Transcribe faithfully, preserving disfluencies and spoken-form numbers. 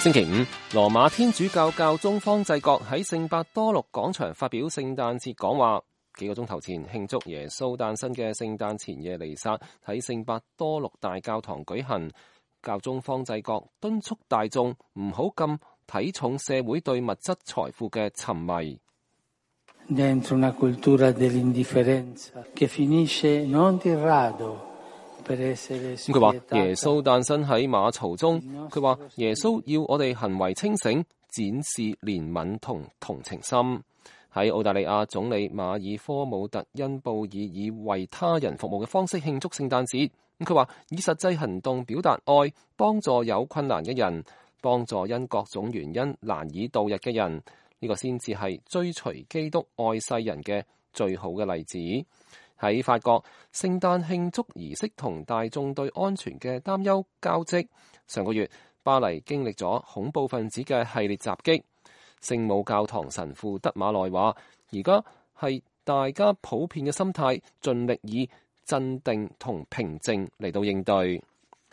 星期五，羅馬天主教教宗方濟各喺聖伯多祿廣場發表聖誕節講話。幾個鐘頭前慶祝耶穌誕生嘅聖誕前夜彌撒喺聖伯多祿大教堂舉行。教宗方濟各敦促大眾唔好咁睇重社會對物質財富嘅沉迷。Dentro una cultura dell'indifferenza che finisce non di rado per essere spietata。佢話耶穌誕生喺馬槽中，佢話耶穌要我哋行為清醒，展示憐憫同同情心。喺澳大利亞總理馬爾科姆特恩布爾以為他人服務嘅方式慶祝聖誕節。咁佢話以實際行動表達愛，幫助有困難嘅人，幫助因各種原因難以度日嘅人，呢個先至係追隨基督愛世人嘅最好嘅例子。喺法國，聖誕慶祝儀式同大眾對安全嘅擔憂交織。上個月，巴黎經歷咗恐怖分子嘅系列襲擊。聖母教堂神父德馬內話，而家係大家普遍嘅心態，盡力以鎮定同平靜嚟到應對。